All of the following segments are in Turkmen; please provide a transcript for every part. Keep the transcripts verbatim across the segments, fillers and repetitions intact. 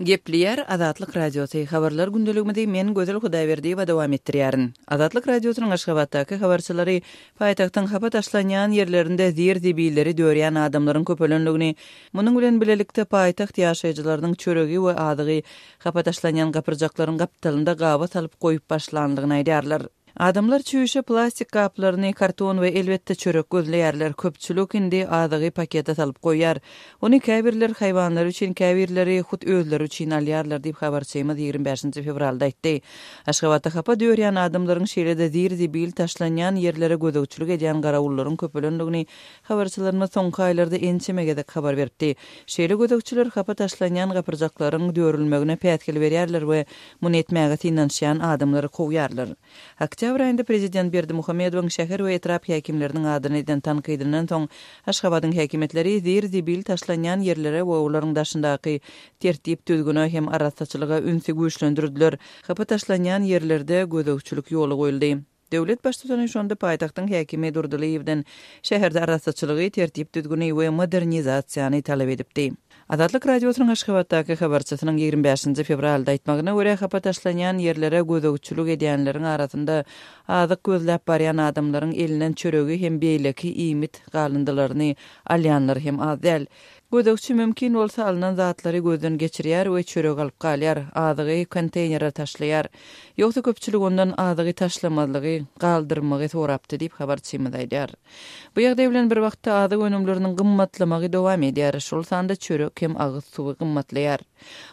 Gepleýär Azatlyk Radiosy habarlar gündeligimizi men Gözel Hudaýberdiýewa dowam etdirýärin. Azatlyk Radiosynyň Aşgabatdaky habarçylary paýtagtyň hapa taşlanýan ýerlerinde zir-zibilleri dörýän adamlaryň köpelenligini, munuň bilen bilelikde paýtagt ýaşaýjylarynyň çöregi we azygy hapa taşlanýan gapyrjaklaryň gapdalynda gaba salyp goýup başlanlygyny aýdýarlar. Adamlar çüýşe plastik gaplaryny, karton we elbetde çörek gözleýärler. Köpçülik indi azygy pakete salyp goýýar. Ony käbirler haýwanlar üçin, käbirleri hut özleri üçin alýarlar diýip habarçymyz ýigrimi bäşinji fewralda aýtdy. Aşgabatda hapa dörýän adamlaryň şeýle-de zir-zibil taşlanýan ýerlere gözegçilik edýän garawullaryň köpelendigini habarçylarymyz soňky aýlarda ençeme gezek habar beripdi. Şeýle gözegçiler hapa taşlanýan gapyrjaklaryň dörülmegine päsgel berýärler we muny etmäge synanyşýan adamlary kowýarlar. Oktýabr aýynda prezident Berdimuhamedowyň şäher we etrap häkimleriniň adyny eden tankydyndan soň Aşgabadyň häkimiýetleri zir-zibil taşlanýan ýerlere we olaryň daşyndaky tertip düzgüne hem arassaçylyga ünsi güýçlendirdiler. Hapa taşlanýan ýerlerde gözegçilik ýola goýuldy. Döwlet baştutany şonda paýtagtyň häkimi Durdylyýewden şäherde arassaçylygy, tertip düzgüni we modernizasiýany talap edipdi. Azatlyk Radiosynyň Aşgabatdaky habarçysynyň ýigrimi bäşinji fewralda aýtmagyna görä, hapa taşlanýan ýerlere gözegçilik edýänleriň arasynda azyk gözläp barýan adamlaryň elinden çöregi hem beýleki iýmit galyndylaryny alýanlar hem az däl. Gözegçi mümkin bolsa alynan zatlary gözden geçirýär we çörek alyp galýar, azygy konteýnere taşlaýar. Ýogsa köpçülik ondan azygy taşlamazlygy, galdyrmagy sorapdy diýip habarçymyz aýdýar. Bu ýagdaý bilen bir wagtda azyk önümleriniň gymmatlamagy dowam edýär, şol sanda çörek hem agyz suwy gymmatlaýar.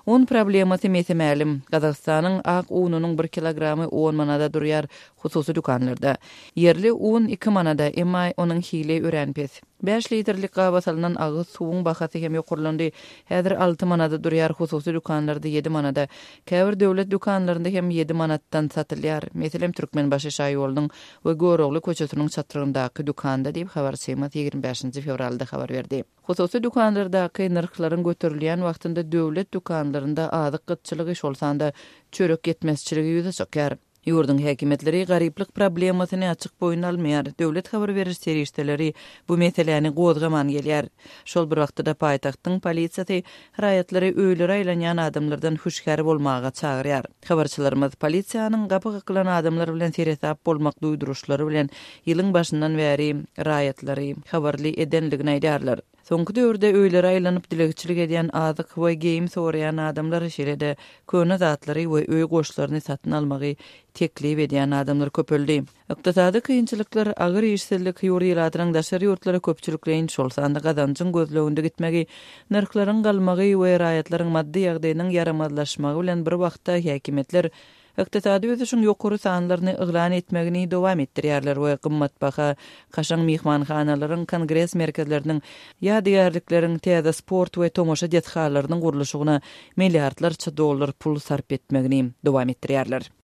Un problemasy mese-mälim. Gazagystanyň ak ununyň bir kilogramy on manada durýar hususy dükanlarda. Ýerli un iki manada, emma onuň hili örän pes. Bäş litrlik gaba salynan agyz suwuň bahasy hem ýokarlandy. Häzir alty manada durýar, hususy dükanlarda ýedi manada. Käbir döwlet dükanlarynda hem ýedi manatdan satylýar. Meselem, Türkmenbaşy şaýolunyň we Görogly köçesiniň çatrygyndaky dükanda diýip habarçymyz ýigrimi bäşinji fewralda habar berdi. Hususy dükanlardaky nyrhlaryň göterilýän wagtynda döwlet dükanlarynda azyk gytçylygy, şol sanda çörek ýetmezçiligi ýüze çykýar. Ýurduň häkimiýetleri garyplyk problemasyny açyk boýun almaýar. Döwlet habar beriş serişdeleri bu meseläni gozgaman gelýär. Şol bir wagtda-da paýtagtyň polisiýasy raýatlary öýlere aýlanýan adamlardan hüşgär bolmaga çagyrýar. Habarçylarymyz polisiýanyň gapy kakylan adamlar bilen seresap bolmak duýduryşlary bilen ýylyň başyndan bäri raýatlary habarly edenligini aýdýarlar. Soňky döwürde öýlere aýlanyp dilegçilik edýän azyk we geýim soraýan adamlar, şeýle-de köne zatlary we öý goşlaryny satyn almagy teklip edýän adamlar köpeldi. Ykdysady kynçylyklar, agyr işsizlik, ýurt ilatynyň daşary ýurtlara köpçülikleýin, şol sanda gazanjyň gözleginde gitmegi, nyrhlaryň galmagy we raýatlaryň maddy ýagdaýynyň ýaramazlaşmagy bilen bir wagtda häkimiýetler ykdysady ösüşiň ýokary sanlaryny yglan etmegini dowam etdirýärler we gymmatbaha kaşaň myhmanhanalaryň, kongres merkezleriniň, ýadygärlikleriň, täze sport we tomaşa desgalarynyň gurluşygyna milliardlarça dollar pul sarp etmegini dowam etdirýärler.